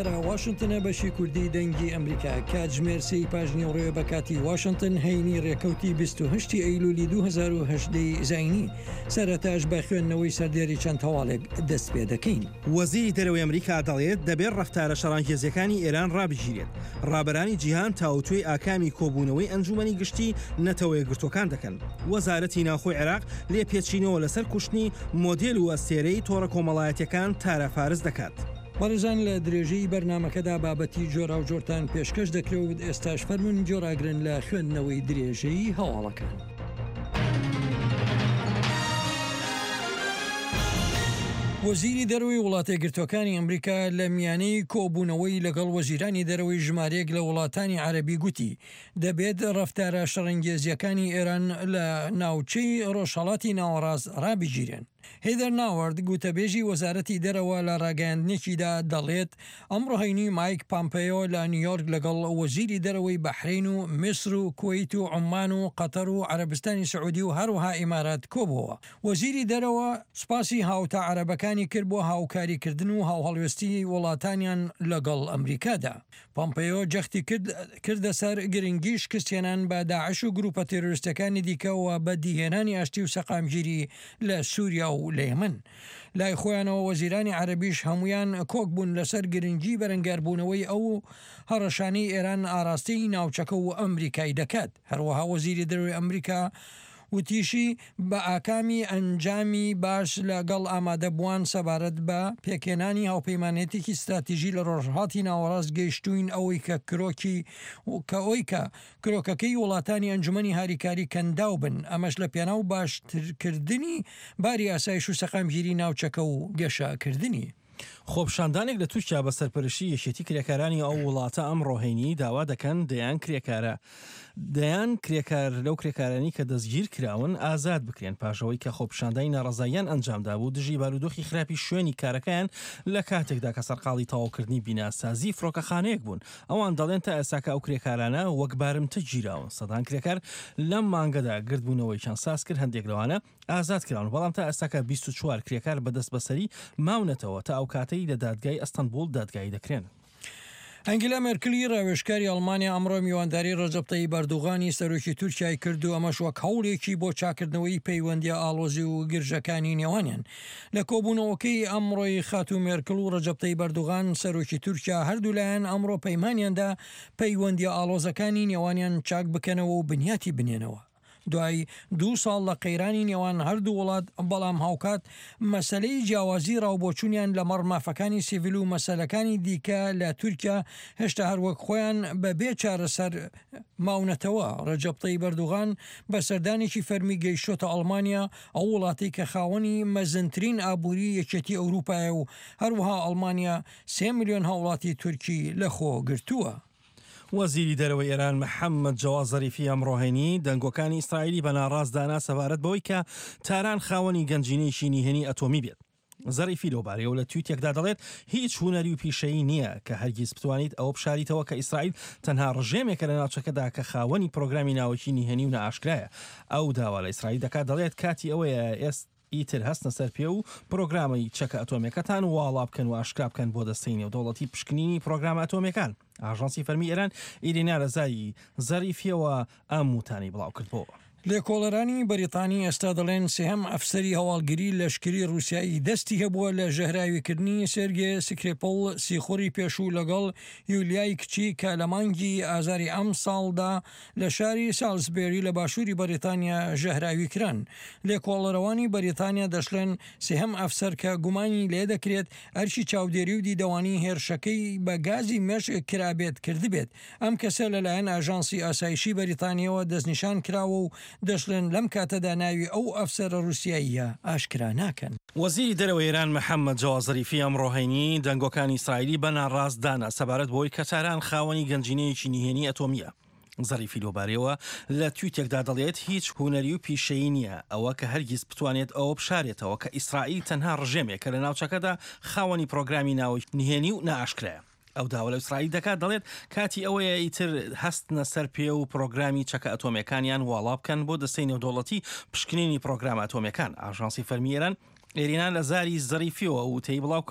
ئێرە واشنتنە بەشی کوردی دەنگی ئەمریکا کاتژمێر سێی پاش نیوەڕۆیە بە کاتی واشنتن هەینی ڕێکەوتی 28 ئەیلولی 2018 زینی سەرەتاش بە خوێندنەوەی سەردێری چەند هەواڵێک دەست پێ دەکەین. وەزیری دەرەوەی ئەمریکا دەڵێت، دەبێت ڕەفتارە شەڕانگێزییەکانی ئێران ڕابگیرێت. ڕابەرانی جیهان تاوتوێی ئاکامی کۆبوونەوەی ئەنجوومەنی گشتی نەتەوەیەکگرتووەکان دەکەن. وەزارەتی ناوخۆی عێراق لێپێچینەوە لەسەر کوشتنی مۆدێل و ئەستێرەی تۆڕە کۆمەڵایەتییەکان تارا فارس دەکات. بەڕێزان لە درێژەی بەرنامەکەدا بابەتی جۆراوجۆرتان پێشکەش دەکرێ و ئێستاش فەرموون گوێڕاگرن لە خوێندنەوەی درێژەی هەواڵەکان. وەزیری دەرەوەی وڵاتەیەکگرتووەکانی ئەمریکا لە میانەی کۆبوونەوەی لەگەڵ وەزیرانی دەرەوەی ژمارەیەک لە وڵاتانی عەرەبی گوتی، دەبێت ڕەفتارە شەڕەنگێزییەکانی ئێران لە ناوچەی ڕۆژهەڵاتی ناوەڕاست ڕابگیرێن. هێدەر ناوەرد، گوتەبێژی وەزارەتی دەرەوە لە ڕاگەیاندنێکیدا دەڵێت، ئەمڕۆ هەینی مایک پامپێیۆ لە نیویۆرک لەگەڵ وەزیری دەرەوەی بەحرەین و میسر و کوەیت و عوممان و قەتەر و عەرەبستانی سعودی و هەروەها ئیمارات کۆبووەوە. وەزیری دەرەوە سوپاسی هاوتا عەرەبەکانی کرد بۆ هاوکاریکردن و هاوهەڵوێستیی وڵاتانیان لەگەڵ ئەمریکادا. پۆمپێیۆ جەختی کرد کردە سەر گرنگی شکستهێنان بە داعش و گروپە تێرۆریستیەکانی دیکە و بەدیهێنانی ئاشتی و سەقامگیری لە سوریا و لە یەمەن. لای خۆیانەوە وەزیرانی عەرەبیش هەموویان کۆک بوون لەسەر گرنگی بەرەنگاربوونەوەی ئەو هەڕەشانەی ئێران ئاراستەی ناوچەکە و ئەمریکای دەکات. هەروەها وەزیری دەرەوەی ئەمریکا وتیشی، بە ئاکامی ئەنجامی باش لە گەڵ ئامادەبووان سەبارەت بە پێکهێنانی هاوپەیمانێتێکی ستراتیژی لە ڕۆژهەڵاتی ناوەڕاست گەیشتووین ئەوەی کە کرۆکی کە ئۆی کە کرۆکەکەی وڵاتانی ئەنجومەنی هاریکاری کەنداو بن ئەمەش لە پێناو باشترکردنی باری ئاسایش و سەقامگیری ناوچەکە و گەشەکردنی. خۆپیشاندانێک لە تورکیا بە سەرپەرشتی یەکێتی کرێکارانی ئەو وڵاتە ئەمڕۆ هەینی داوا دەکەن دەیان کرێکارە دەیان کرێکار لەو کرێکارانی کە دەستگیر کراون ئازاد بکرێن پاشەوەی کە خۆپیشاندانی ناڕەزاییان ئەنجامدابوو دژی بارودۆخی خراپی شوێنی کارەکەیان لە کاتێکدا کە سەرقاڵی تەواوکردنی بیناسازی فڕۆکەخانەیەک بوون ئەوان دەڵێن تا ئێستاکە ئەو کرێکارانە وەک بارمتە گیراون سەدان کرێکار لەم مانگەدا گردبوونەوەیان ساز کرد هەندێک لەوانە ئازاد کراون، بەڵام تا ئێستاکە 24 کرێکار بە دەستبەسەری ماونەتەوە تا ئەو کاتەی لە دادگای ئەستەنبوڵ دادگایی دەکرێن. ئەنگیلا مێرکلی راوێژکاری ئەڵمانیا ئەمڕۆ میوانداری رەجەب تەیب ئەردوغانی سەرۆکی تورکیای کرد و ئەمەش وەک هەوڵێکی بۆ چاککردنەوەی پەیوەندییە ئاڵۆزی و گرژەکانی نێوانیان. لە کۆبوونەوەکەی ئەمڕۆی خاتوو مێرکڵ و رەجەب تەیب ئەردوغان سەرۆکی تورکیا هەردوولایەن ئەمڕۆ پەیمانیاندا پەیوەندییە ئاڵۆزەکانی نێوانیان چاک بکەنەوە و بنیاتی بنێنەوە. دوای دوو ساڵ لە قەیرانی نێوان هەردوو وڵات، بەڵام هاوکات مەسەلەی جیاوازی ڕاوبۆچوونیان لەمەڕ مافەکانی سیڤیل و مەسەلەکانی دیکە لە تورکیا هێشتا هەر وەک خۆیان بە بێ چارەسەر ماونەتەوە. ڕەجەب تەیب ئەردوغان بە سەردانێکی فەرمی گەیشتۆتە ئەڵمانیا، ئەو وڵاتەی کە خاوەنی مەزنترین ئابووری یەکێتی ئەوروپایە و هەروەها ئەڵمانیا سێ ملیۆن هاوڵاتی تورکی لەخۆ گرتووە. وەزیری دەرەوەی ئێران محەممەد جەواد زەریفی ئەمڕۆ هەینی دەنگۆکانی ئیسرائیلی بە ناڕاست دانا سەبارەت بەوەی کە تاران خاوەنی گەنجینەیەکی نهێنی ئەتۆمی بێت. زەریفی لەوبارەیەوە لە تویتێکدا دەڵێت هیچ هونەری و پیشەیی نییە کە هەرگیز بتوانیت ئەوە بشاریتەوە کە ئیسرائیل تەنها ڕژێمێکە لە ناوچەکەدا کە خاوەنی پرۆگرامی ناوەکی نهێنی و نائاشکرایە. ئەو داوا لە ئیسرائیل دەکات دەڵێت کاتی ئەوەیە ئێست ئیتر هەستنە سەر پێ و پرۆگرامی چەکە ئەتۆمیەکەتان واڵا بکەن و ئاشکرا بکەن بۆ دەستەی نێودەوڵەتی پشکنینی پرۆگرامە ئەتۆمیەکان. ئاژانسی فەرمی ئێران ئیرینا لە زاری زەریفیەوە ئەم وتانەی بڵاوکردبۆوە. لێکۆڵەرانی بەریتانی ئێستا دەڵێن سێهەم ئەفسەری هەواڵگری لەشکری ڕووسیایی دەستی هەبووە لە ژەهراویکردنی سێرگێ سکریپڵ سیخوڕی پێشوو لەگەڵ یولیای کچی کە لە مانگی ئازاری ئەمساڵدا لە شاری سالسبێری لە باشووری بەریتانیا ژەهراوی کران. لێکۆڵەرەوانی بەریتانیا دەشڵێن سێهەم ئەفسەر کە گومانی لێدەکرێت ئەرکی چاودێری و دیدەوانی هێرشەکەی بە گازی مێشک کرابێت کردبێت. ئەم کەسە لەلایەن ئاژانسی ئاسایشی بەریتانییەوە دەستنیشان کراوە و دەشڵێن لەم کاتەدا ناوی ئەو ئەفسەرە ڕووسیاییە ئاشکرا ناکەن. وەزیری دەرەوەی ئێران محەممەد جەواد زەریفی ئەمڕۆ هەینی دەنگۆکانی ئیسرائیلی بە ناڕاست دانا سەبارەت بەوەی کە تاران خاوەنی گەنجینەیەکی نهێنی ئەتۆمییە. زەریفی لەوبارەیەوە لە تویتێکدا دەڵێت هیچ هونەری و پیشەیی نییە ئەوە کە هەرگیز بتوانێت ئەوە بشارێتەوە کە ئیسرائیل تەنها ڕژێمێکە لە ناوچەکەدا خاوەنی پرۆگرامی ناوەکی نهێنی و نائاشکرایە. ئەو داوا لە ئیسرائیل دەکات دەڵێت کاتی ئەوەیە ئیتر هەستنە سەر پێ و پرۆگرامی چەکە ئەتۆمیەکانیان واڵا بکەن بۆ دەستەی نێودەوڵەتی پشکنینی پرۆگرامە ئەتۆمیەکان. ئاژانسی فەرمی ئێران ئێرینا لە زاری زەریفیەوە وتەی بڵاو.